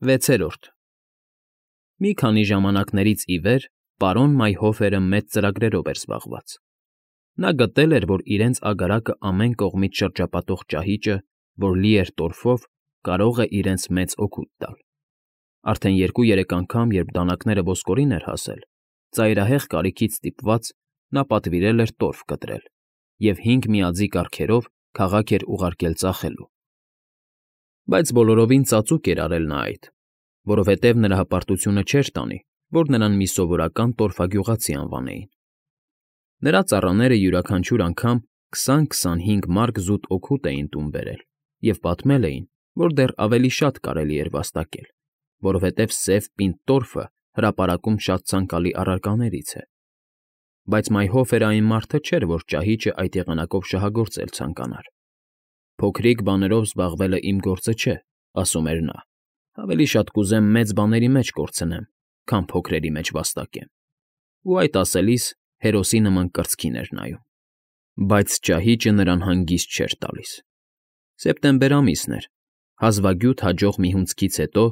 Վեցերորդ Մի քանի ժամանակներից ի վեր պարոն Մայհոֆերը մեծ ծրագրերով էր զբաղված. նա գտել էր, որ իրենց agaraքը ամեն կողմից շրջապատող ճահիճը, որ լի էր տորֆով, կարող է իրենց մեծ օգուտ տալ. արդեն 2-3 անգամ, երբ դանակները ոսկորին էր հասել, ծայրահեղ կարիքից ստիպված, նա պատվիրել էր տորֆ կտրել և 5 միաձի կարգերով քաղաք էր ուղարկել ծախելու։ Բայց բոլորովին ծածուկ էր արել նա այդ, որովհետև նրա հպարտությունը չէր տանի, որ նրան մի սովորական տորֆագյուղացի անվանեին։ Նրա ծառաները յուրաքանչյուր անգամ 20-25 մարկ զուտ օգուտ էին տուն բերել և պատմել էին, որ դեռ ավելի շատ կարելի էր վաստակել, որովհետև սև պինդ տորֆը հրապարակում շատ ցանկալի առարկաներից է։ Բայց Մայհոֆերը այն մարդը չէր, որ ճահիճը այդ եղանակով շահագործել ցանկանար։ Փոքրիկ բաներով զբաղվելը իմ գործը չէ, ասում էր նա, ավելի շատ կուզեմ մեծ բաների մեջ կորցնեմ, քան փոքրերի մեջ վաստակեմ։ Ու այդ ասելիս հերոսի նման կրծքին էր նայում։ Բայց ճահիճը նրան հանգիստ չէր տալիս։ Սեպտեմբեր ամիսն էր, հազվագյուտ հաջող մի հունձքից հետո,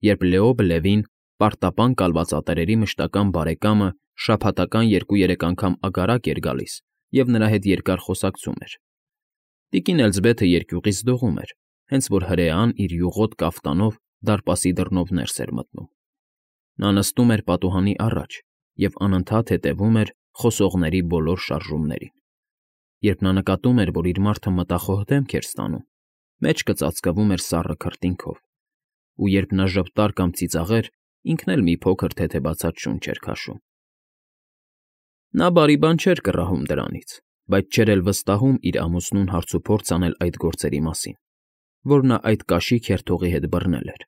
երբ Լեոբ պարտապան կալվածատերերի մշտական բարեկամը շաբաթական 2-3 անգամ ագարակ էր գալիս և նրա հետ երկար խոսակցում էր։ Տիկին Էլզբեթը երկյուղից դողում էր, հենց որ հրեան իր յուղոտ կաֆտանով դարպասի դռնով ներս էր մտնում։ Նա նստում էր պատուհանի առաջ և անընդհատ հետևում էր խոսողների բոլոր շարժումներին։ Երբ նա նկատում էր, որ իր մարդը մտախոհ դեմք էր ստանում, մեջքը ծածկվում էր սառը քրտինքով, ու երբ նա ժպտար կամ ծիծաղեր, ինքն էլ մի փոքր թեթևացած շունչ էր քաշում։ Նա բարի բան չէր կռահում դրանից, բայց չէր էլ վստահում իր ամուսնուն հարցուփորձ անել այդ գործերի մասին, որ նա այդ կաշի քերթողի հետ բռնել էր։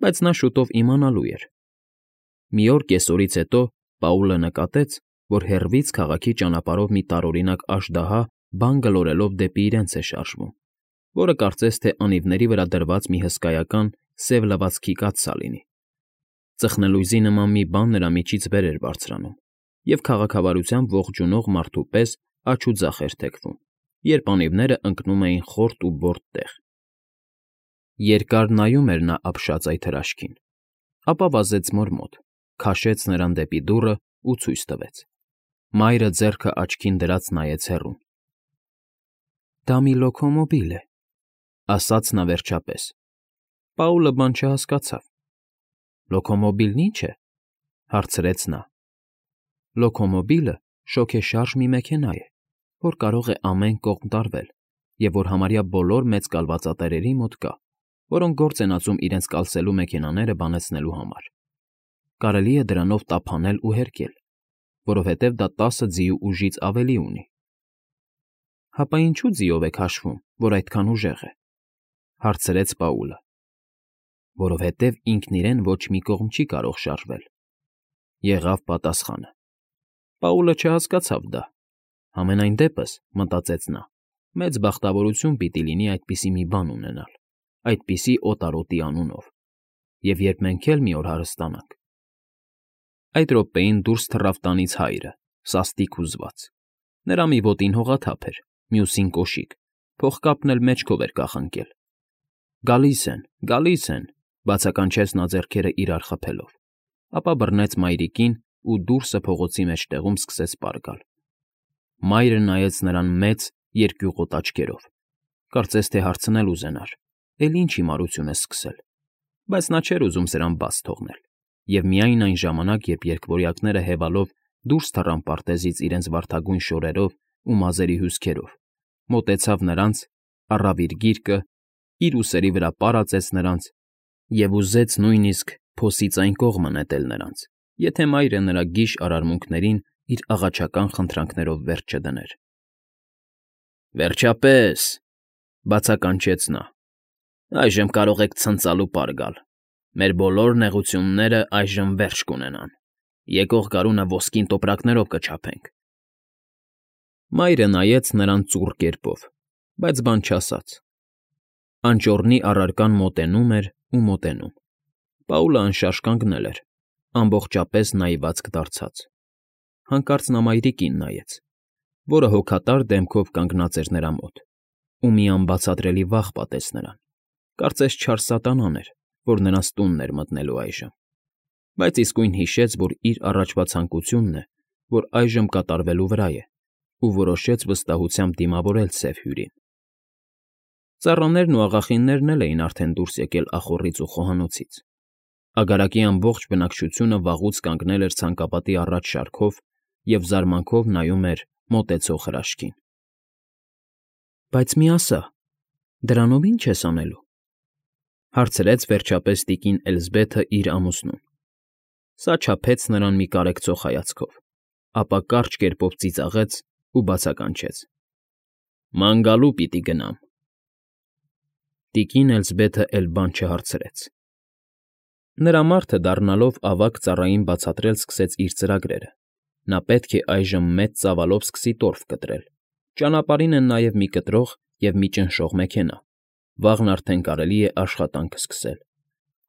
Բայց նա շուտով իմանալու էր։ Մի օր կեսօրից հետո Պաուլը նկատեց, որ հեռվից քաղաքի ճանապարհով մի տարօրինակ աժդահա բան գլորելով դեպի իրենց է շարժվում, որը կարծես թե անիվների վրա դրված մի հսկայական սև լվացքի կաթսա լինի։ Ծխնելույզի նման մի բան նրա միջից վեր էր բարձրանում և քաղաքավարությամբ ողջունող մարդու պես աջ ու ձախ էր թեքվում, երբ անիվները ընկնում էին խորտ ու բորտ տեղ։ Երկար նայում էր նա ապշած այդ հրաշքին, ապա վազեց Մոր մոտ, քաշեց նրան դեպի դուռը ու ցույց տվեց։ Մայրը ձեռքը աչքին դրած նայեց հեռուն։ «Դա մի լոքոմոբիլ է», ասաց նա վերջապես։ Պաուլը բան չհասկացավ։ «Լոքոմոբիլն ի՞նչ է», հարցրեց նա։ «Լոքոմոբիլը շոգեշարժ մի մեքենա է, որ կարող է ամեն կողմ տարվել և որ համարյա բոլոր մեծ կալվածատերերի մոտ կա, որոնք գործ են ածում իրենց կալսելու մեքենաները բանացնելու համար։ Կարելի է դրանով տափանել ու հերկել, որովհետև դա 10 ձիու ուժից ավելի ունի»։ «Հապա ինչու ձիով եք հաշվում, որ այդքան ուժեղ է», հարցրեց Պաուլը։ «Որովհետև ինքն իրեն ոչ մի կողմ չի կարող շարժվել», եղավ պատասխանը։ Պաուլը չհասկացավ դա։ Համենայն դեպս, մտածեց նա, մեծ բախտավորություն պիտի լինի այդպիսի մի բան ունենալ, այդպիսի օտարոտի անունով, և երբ մենք էլ մի օր հարստանանք։ Այդ րոպեին դուրս թռավ տանից հայրը, սաստիկ հուզված։ Նրա մի ոտին հողաթափ էր, մյուսին կոշիկ, փողկապն էլ մեջքով էր կախնկել։ Գալիս են, բացականչեց նա ձեռքերը իրար խփելով, ապա բռնեց մայրիկին ու դուրսը փողոցի մեջտեղում սկսեց պար գալ։ Մայրը նայեց նրան մեծ երկյուղոտ աչքերով, կարծես թե հարցնել ուզենար. «Էլ ինչ հիմարություն ես սկսել»։ Բայց նա չէր ուզում սրան բաց թողնել, և միայն այն ժամանակ, երբ երկվորյակները հևալով դուրս թռան պարտեզից իրենց վարդագույն շորերով ու մազերի հյուսքերով, մոտեցավ նրանց, առավ իր գիրկը, իր ուսերի վրա պար ածեց նրանց և ուզեց նույնիսկ փոսից այն կողմը նետել նրանց, եթե մայրը նրա գիժ արարմունքներին իր աղաչական խնդրանքներով վերջ չդներ։ «Վերջապես», բացականչեց նա, «այժմ կարող եք ցնծալ ու պար գալ։ Մեր բոլոր նեղությունները այժմ վերջ կունենան։ Եկող գարունը ոսկին տոպրակներով կչափենք»։ Մայրը նայեց նրան ծուռ կերպով, բայց բան չասաց։ Անճոռնի առարկան մոտենում էր ու մոտենում։ Պաուլը անշարժ կանգնել էր, ամբողջապես նայվածք դարձած։ Հանկարծ նա մայրիկին նայեց, որը հոգատար դեմքով կանգնած էր նրա մոտ, ու մի անբացատրելի վախ պատեց նրան, կարծես չար սատանան էր, որ նրանց տունն էր մտնելու այժմ, բայց իսկույն հիշեց, որ իր առաջվա ցանկությունն է, որ այժմ կատարվելու վրա է, ու որոշեց վստահությամբ դիմավորել սև հյուրին։ Ծառաներն ու աղախիններն էլ էին արդեն դուրս եկել ախոռից ու խոհանոցից։ Ագարակի ամբողջ բնակչությունը վաղուց կանգնել էր ցանկապատի առաջ շարքով և զարմանքով նայում էր մոտեցող հրաշքին։ Բայց մի ասա, դրանով ի՞նչ ես անելու,֊ հարցրեց վերջապես տիկին Էլզբեթը իր ամուսնուն։ Սա չափեց նրան մի կարեկցող հայացքով, ապա կարճ կերպով ծիծաղեց ու բացականչեց. «Ման գալու պիտի գնամ»։ Տիկին Էլզբեթը էլ բան չհարցրեց։ Նրա մարդը դառնալով ավագ ծառային բացատրել սկսեց իր ծրագրերը։ Նա պետք է այժմ մեծ ծավալով սկսի տորֆ կտրել։ Ճանապարհին են նաև մի կտրող և մի ճնշող մեքենա։ Վաղն արդեն կարելի է աշխատանքը սկսել։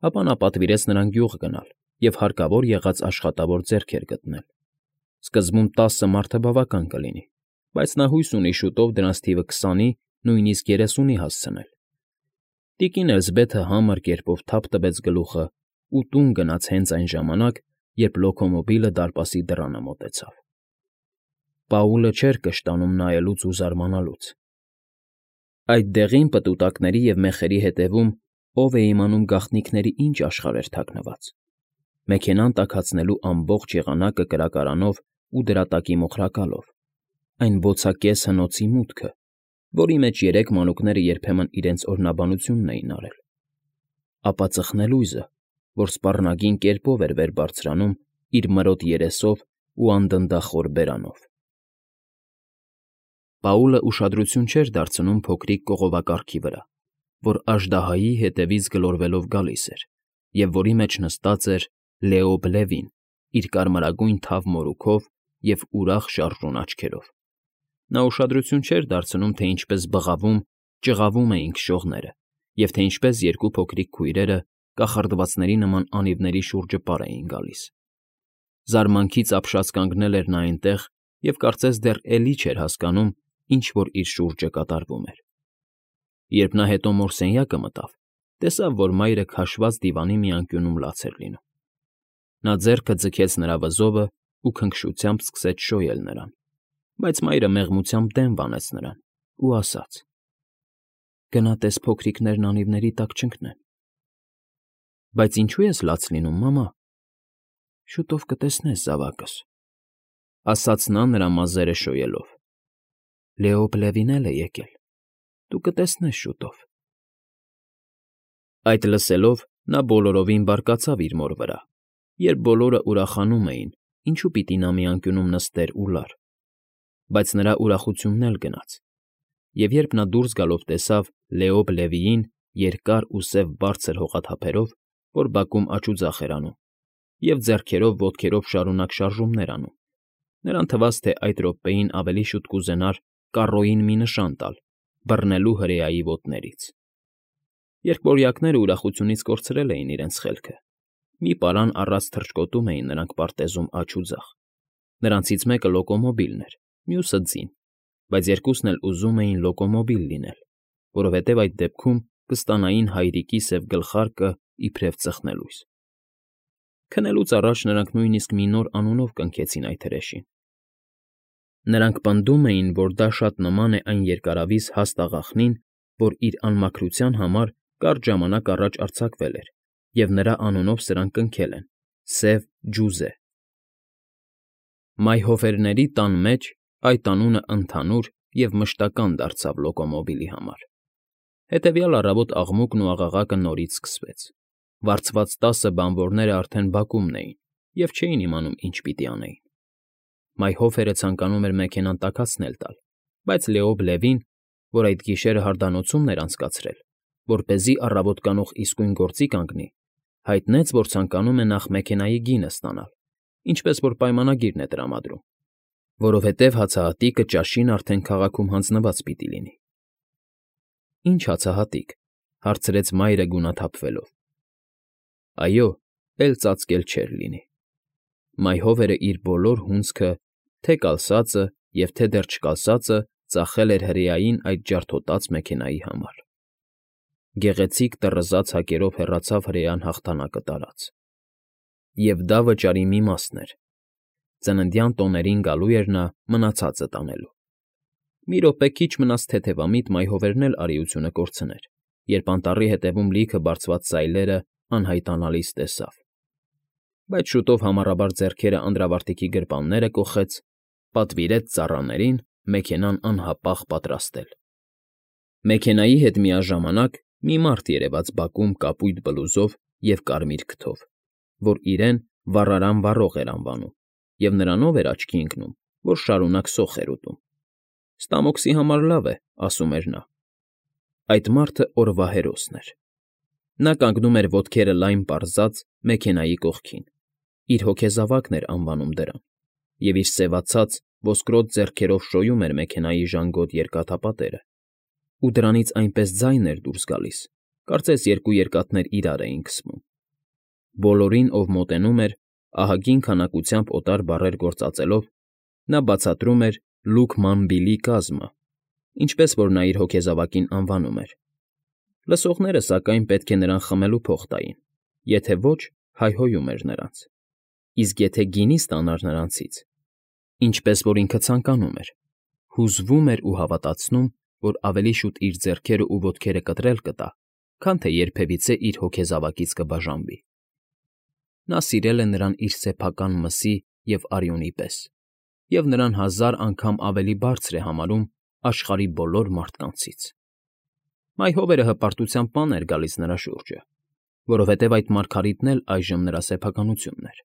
Ապա նա պատվիրեց նրան գյուղ գնալ և հարկավոր եղած աշխատավոր ձեռքեր գտնել։ Սկզբում 10 մարդը բավական կլինի, բայց նա հույս ունի շուտով դրանց թիվը 20-ի, նույնիսկ 30-ի հասցնել։ Տիկին Էլզբեթը համր կերպով թափ տվեց գլուխը ու տուն գնաց հենց այն ժամանակ, երբ լոկոմոբիլը դարպասի դռանը մոտեցավ։ Պաուլը չէր կշտանում նայելուց ու զարմանալուց։ Այդ դեղին պտուտակների և մեխերի հետևում ով է իմանում գաղտնիքների ինչ աշխարհ էր թաքնված։ Մեքենան տաքացնելու ամբողջ եղանակը կրակարանով ու դրա տակի մոխրակալով, այն բոցակես հնոցի մուտքը, որի մեջ երեք մանուկները երբեմն իրենց օրհնաբանությունն էին արել, ապա ծխնելույզը, որ սպառնագին կերպով էր վեր բարձրանում իր մրոտ երեսով ու անդնդախոր բերանով։ Պաուլը ուշադրություն չէր դարձնում փոքրիկ կողովակարգի վրա, որ աժդահայի հետևից գլորվելով գալիս էր, և որի մեջ նստած էր Լեոբ Լևին իր կարմրագույն թավ մորուքով և ուրախ շարժուն աչքերով։ Նա ուշադրություն չէր դարձնում, թե ինչպես բղավում, ճղավում էին քշողները, և թե ինչպես երկու փոքրիկ քույրերը կախարդվածների նման անիվների շուրջը պար էին գալիս։ Զարմանքից ապշած կանգնել էր նա այնտեղ և կարծես դեռ էլի չէր հասկանում, ինչ որ իր շուրջը կատարվում էր։ Երբ նա հետո մորսենյակը մտավ, տեսավ, որ մայրը քաշված դիվանի մի անկյունում լաց էր լինում։ Նա ձեռքը ձգեց նրա վզովը ու քնքշությամբ սկսեց շոյել նրան, բայց մայրը մեղմությամբ դեմ վանեց նրան ու ասաց. «Գնա տես փոքրիկներն անիվների տակ չընկնեն»։ «Բայց ինչու ես լաց լինում, մամա»։ «Շուտով կտեսնես, զավակս», ասաց նա նրա մազերը շոյելով։ «Լեոբ Լևին էլ է եկել, դու կտեսնես շուտով»։ Այդ լսելով նա բոլորովին բարկացավ իր մոր վրա, երբ բոլորը ուրախանում էին, ինչու պիտի նա մի անկյունում նստեր ու լար։ Բայց նրա ուրախությունն էլ գնաց, և երբ նա դուրս գալով տեսավ Լեոբ Լևիին երկար ու սև բարձր հողաթափերով, որ բակում աջուձախ էր անում, և ձեռքերով ոտքերով շարունակ շարժումներ անում, նրան թվաց, թե այդ րոպեին ավելի շուտ կուզենար կառոյին մի նշան տալ, բռնելու հրեայի ոտներից։ Երկվորյակները ուրախությունից կորցրել էին իրենց խելքը։ Մի պարան առած թռչկոտում էին նրանք պարտեզում աջ ու ձախ։ Նրանցից մեկը լոկոմոբիլն էր, մյուսը ձին, բայց երկուսն էլ ուզում էին լոկոմոբիլ լինել, որովհետև այդ դեպքում կստանային հայրիկի սև գլխարկը իբրև ծխնելույս։ Քնելուց առաջ նրանք նույնիսկ մի նոր անունով կնքեցին այդ հրեշին։ Նրանք պնդում էին, որ դա շատ նման է այն երկարավիզ հաստ աղախնին, որ իր անմաքրության համար կարճ ժամանակ առաջ արձակվել էր, և նրա անունով սրանք կնքել են՝ Սև Ջուզե։ Մայհոֆերների տան մեջ այդ անունը ընդհանուր և մշտական դարձավ լոկոմոբիլի համար։ Հետևյալ առավոտ աղմուկն ու աղաղակը նորից սկսվեց։ Վարձված 10 բանվորները արդեն բակումն էին և չէին իմանում ինչ պիտի անեին։ Մայհոֆերը ցանկանում էր մեքենան տաքացնել տալ, բայց Լեոբ Լևին, որ այդ գիշերը հարդանոցումն էր անցկացրել, որպեսզի առավոտ կանուխ իսկույն գործի կանգնի, հայտնեց, որ ցանկանում է նախ մեքենայի գինը ստանալ, ինչպես որ պայմանագիրն է տրամադրում, որովհետև հացահատիկը ճաշին արդեն քաղաքում հանձնված պիտի լինի։ «Ինչ հացահատիկ,֊ հարցրեց մայրը գունաթափվելով։ Այո, էլ ծածկել չէր լինի։ Մայհովերը իր բոլոր հունձքը, թե կալսածը և թե դեռ չկալսածը ծախել էր հրեային այդ ջարդոտած մեքենայի համար։ գեղեցիկ տռզած հակերով հեռացավ հրեան հաղթանակը տարած։ Եվ դա վճարի մի մասն էր. ծննդյան տոներին գալու էր նա մնացածը տանելու։ Մի րոպե քիչ մնաց թեթևամիտ մայհովերն էլ արիությունը կորցներ, երբ անտառի հետևում լիքը բարձված սայլերը անհայտանալիս տեսավ։ Բայց շուտով համառաբար ձեռքերը անդրավարտիքի գրպանները կոխեց, պատվիրեց ծառաներին մեքենան անհապաղ պատրաստել։ Մեքենայի հետ միաժամանակ մի մարդ երևաց բակում կապույտ բլուզով և կարմիր քթով, որ իրեն վառարան վառող էր անվանում, և նրանով էր աչքի ընկնում, որ շարունակ սոխ էր ուտում։ Ստամոքսի համար լավ է, ասում էր նա։ Այդ մարդը օրվա հերոսն էր։ Նա կանգնում էր ոտքերը լայն պարզած մեքենայի կողքին, իր հոգեզավակն էր անվանում դրան, և իր սևացած, ոսկրոտ ձեռքերով շոյում էր մեքենայի ժանգոտ երկաթապատերը, ու դրանից այնպես ձայն էր դուրս գալիս, կարծես երկու երկաթներ իրար էին քսվում։ Բոլորին, ով մոտենում էր, ահագին քանակությամբ օտար բառեր գործածելով, նա բացատրում էր Լուկմանբիլի կազմը, ինչպես որ նա իր հոգեզավակին անվանում էր։ Լսողները, սակայն, պետք է նրան խմելու փող տային, եթե ոչ, հայհոյում էր նրանց։ Իսկ եթե գինի ստանար նրանցից, ինչպես որ ինքը ցանկանում էր, հուզվում էր ու հավատացնում, որ ավելի շուտ իր ձեռքերը ու ոտքերը կտրել կտա, քան թե երբևիցե իր հոգեզավակից կբաժանվի։ Նա սիրել է նրան իր սեփական մսի և արյունի պես, և նրան 1000 անգամ ավելի բարձր է համարում աշխարհի բոլոր մարդկանցից։ Մայհովերը հպարտությամբ պանն էր գալիս նրա շուրջը, որովհետև այդ մարգարիտն էլ այժմ նրա սեփականությունն էր,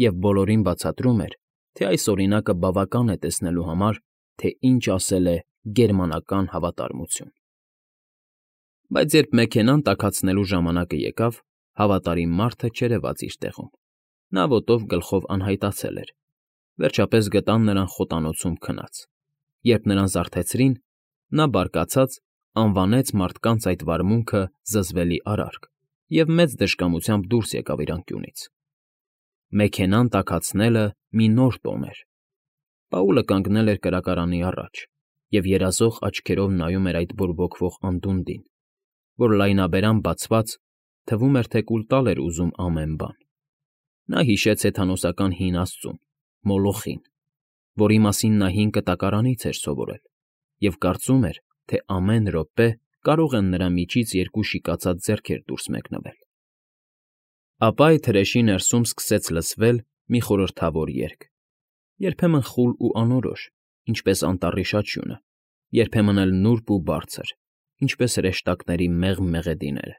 և բոլորին բացատրում էր, թե այս օրինակը բավական է տեսնելու համար, թե ինչ ասել է գերմանական հավատարմություն։ Բայց երբ մեքենան տաքացնելու ժամանակը եկավ, հավատարիմ մարդը չերևաց իր տեղում։ Նա ոտով գլխով անհայտացել էր։ Վերջապես գտան նրան խոտանոցում քնած։ Երբ նրան զարթեցրին, նա բարկացած անվանեց մարդկանց այդ վարմունքը զզվելի արարք և մեծ դժկամությամբ դուրս եկավ իր անկյունից։ Մեքենան տաքացնելը մի նոր տոն էր։ Պաուլը կանգնել էր կրակարանի առաջ և երազող աչքերով նայում էր այդ բորբոքվող անդունդին, որ լայնաբերան բացված, թվում էր, թե կուլ տալ էր ուզում ամեն բան։ Նա հիշեց հեթանոսական հին աստծուն՝ Մոլոխին, որի մասին նա հին կտակարանից էր սովորել, և կարծում էր, թե ամեն րոպե կարող են նրա միջից երկու շիկացած ձեռքեր դուրս մեկնվել։ Ապա այդ հրեշի ներսում սկսեց լսվել մի խորհրդավոր երգ, երբեմն խուլ ու անորոշ, ինչպես անտառի շաչյունը, երբեմն էլ նուրբ ու բարձր, ինչպես հրեշտակների մեղմ մեղեդիները։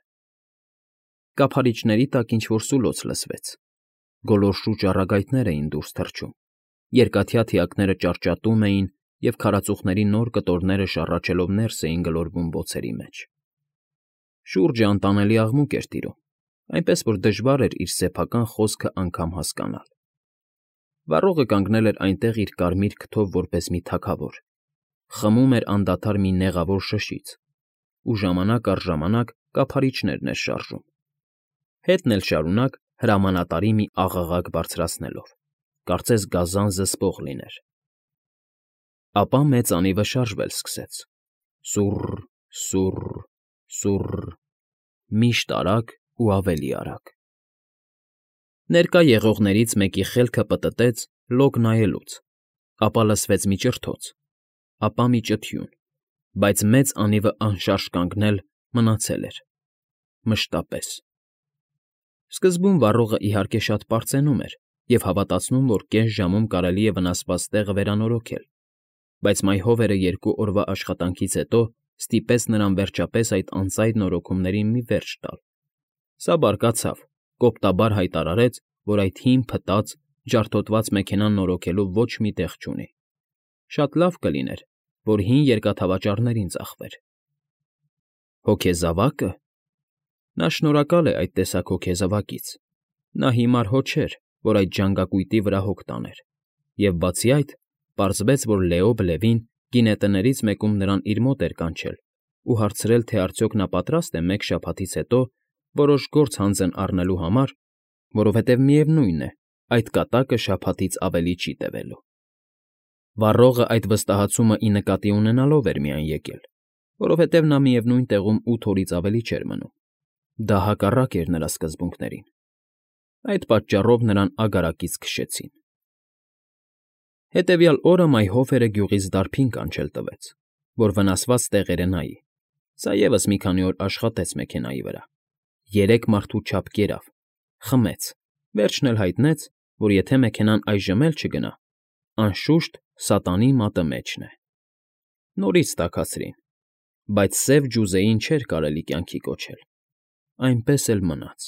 Կափարիչների տակ ինչ֊որ սուլոց լսվեց։ Գոլորշու ճառագայթներ էին դուրս թռչում, երկաթյա թիակները ճարճատում էին, և քարածուխների նոր կտորները շառաչելով ներս էին գլորվում բոցերի մեջ։ Շուրջը անտանելի աղմուկ էր տիրում, այնպես որ դժվար էր իր սեփական խոսքը անգամ հասկանալ։ Վառողը կանգնել էր այնտեղ իր կարմիր քթով որպես մի թագավոր, խմում էր անդադար մի նեղավոր շշից ու ժամանակ առ ժամանակ կափարիչներն էր շարժում, հետն էլ շարունակ հրամանատարի մի աղաղակ բարձրացնելով, կարծես գազան զսպող լիներ։ Ապա մեծ անիվը շարժվել սկսեց. սուռ, սուռ, սուռ, միշտ արագ ու ավելի արագ։ Ներկա եղողներից մեկի խելքը պտտեց լոկ նայելուց, ապա լսվեց մի ճրթոց, ապա մի ճթյուն, բայց մեծ անիվը անշարժ կանգնել մնացել էր, մշտապես։ Սկզբում վառողը իհարկե շատ պարծենում էր և հավատացնում, որ կես ժամում կարելի է վնասված տեղը վերանորոգել, բայց մայհովերը 2 օրվա աշխատանքից հետո ստիպեց նրան վերջապես այդ անծայր նորոգումներին մի վերջ տալ։ Սա բարկացավ, կոպտաբար հայտարարեց, որ այդ հին փտած, ջարդոտված մեքենան նորոգելու ոչ մի տեղ չունի։ Շատ լավ կլիներ, որ հին երկաթավաճառներին ծախվեր։ Հոգեզավա՞կը։ Նա շնորհակալ է այդ տեսակ հոգեզավակից։ Նա հիմար հո չէր, որ այդ ժանգակույտի վրա հոգ տաներ, և բացի այդ, պարզվեց, որ Լեոբ֊Լևին գինետներից մեկում նրան իր մոտ էր կանչել ու հարցրել, թե արդյոք նա պատրաստ է մեկ շաբաթից հետո որոշ գործ հանձն առնելու համար, որովհետև միևնույն է, այդ կատակը շաբաթից ավելի չի տևելու։ Վառողը այդ վստահացումը ի նկատի ունենալով էր միայն եկել, որովհետև նա միևնույն տեղում 8 օրից ավելի չէր մնում։ Դա հակառակ էր նրա սկզբունքներին։ Այդ պատճառով նրան ագարակից քշեցին։ Հետևյալ օրը Մայհոֆերը գյուղից դարբին կանչել տվեց, որ վնասված տեղերը նայի։ Սա ևս մի քանի օր աշխատեց մեքենայի վրա։ 3 մարդու չափ կերավ, խմեց, վերջն էլ հայտնեց, որ եթե մեքենան այժմ էլ չգնա, անշուշտ սատանի մատը մեջն է։ Նորից տաքացրին, բայց սև ջուզեին չէր կարելի կյանքի կոչել։ Այնպես էլ մնաց։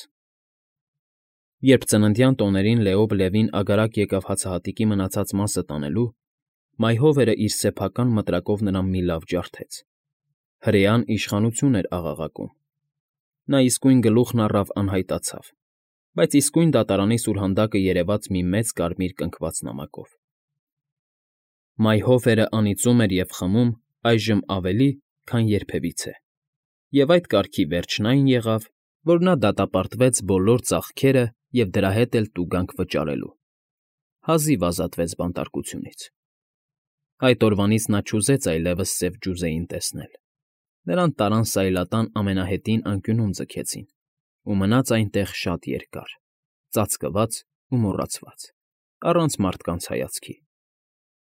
Երբ ծննդյան տոներին Լեոբ-Լևին ագարակ եկավ հացահատիկի մնացած մասը տանելու, Մայհովերը իր սեփական մտրակով նրան մի լավ ջարդեց։ Հրեան իշխանություն էր աղաղակում։ Նա իսկույն գլուխն առավ անհայտացավ, բայց իսկույն դատարանի սուրհանդակը երևաց մի մեծ կարմիր կնքված նամակով։ Մայհոֆերը անիծում էր և խմում այժմ ավելի, քան երբևիցե, և այդ կարգի վերջն այն եղավ, որ նա դատապարտվեց բոլոր ծախքերը և դրա հետ էլ տուգանք վճարելու։ Հազիվ ազատվեց բանտարկությունից։ Այդ օրվանից նա չուզեց այլևս սև ջուզեին տեսնել։ Նրան տարան սայլատան ամենահետին անկյունում ձգեցին ու մնաց այնտեղ շատ երկար, ծածկված ու մոռացված, առանց մարդկանց հայացքի։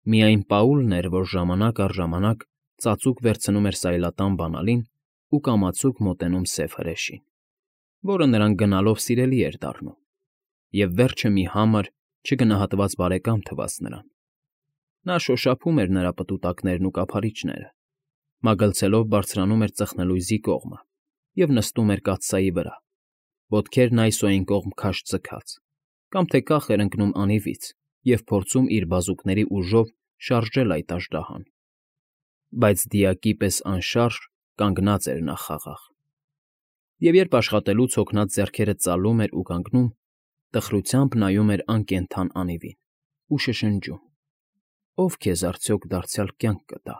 Միայն Պաուլն էր, որ ժամանակ առ ժամանակ ծածուկ վերցնում էր սայլատան բանալին ու կամացուկ մոտենում սև հրեշին, որը նրան գնալով սիրելի էր դառնում, և վերջը մի համր, չգնահատված բարեկամ թվաց նրան։ Նա շոշափում էր նրա պտուտակներն ու կափարիչները, մագլցելով բարձրանում էր ծխնելույզի կողմը և նստում էր կաթսայի վրա, ոտքերն այս ու այն կողմ քաշ ձգած, կամ թե կախ էր ընկնում անիվից և փորձում իր բազուկների ուժով շարժել այդ աժդահան։ Բայց դիակի պես անշարժ կանգնած էր նա խաղաղ։ Եվ երբ աշխատելուց հոգնած ձեռքերը ծալում էր ու կանգնում, տխրությամբ նայում էր անկենդան անիվին ու շշնջում. «Ո՞վ քեզ արդյոք դարձյալ կյանք կտա»։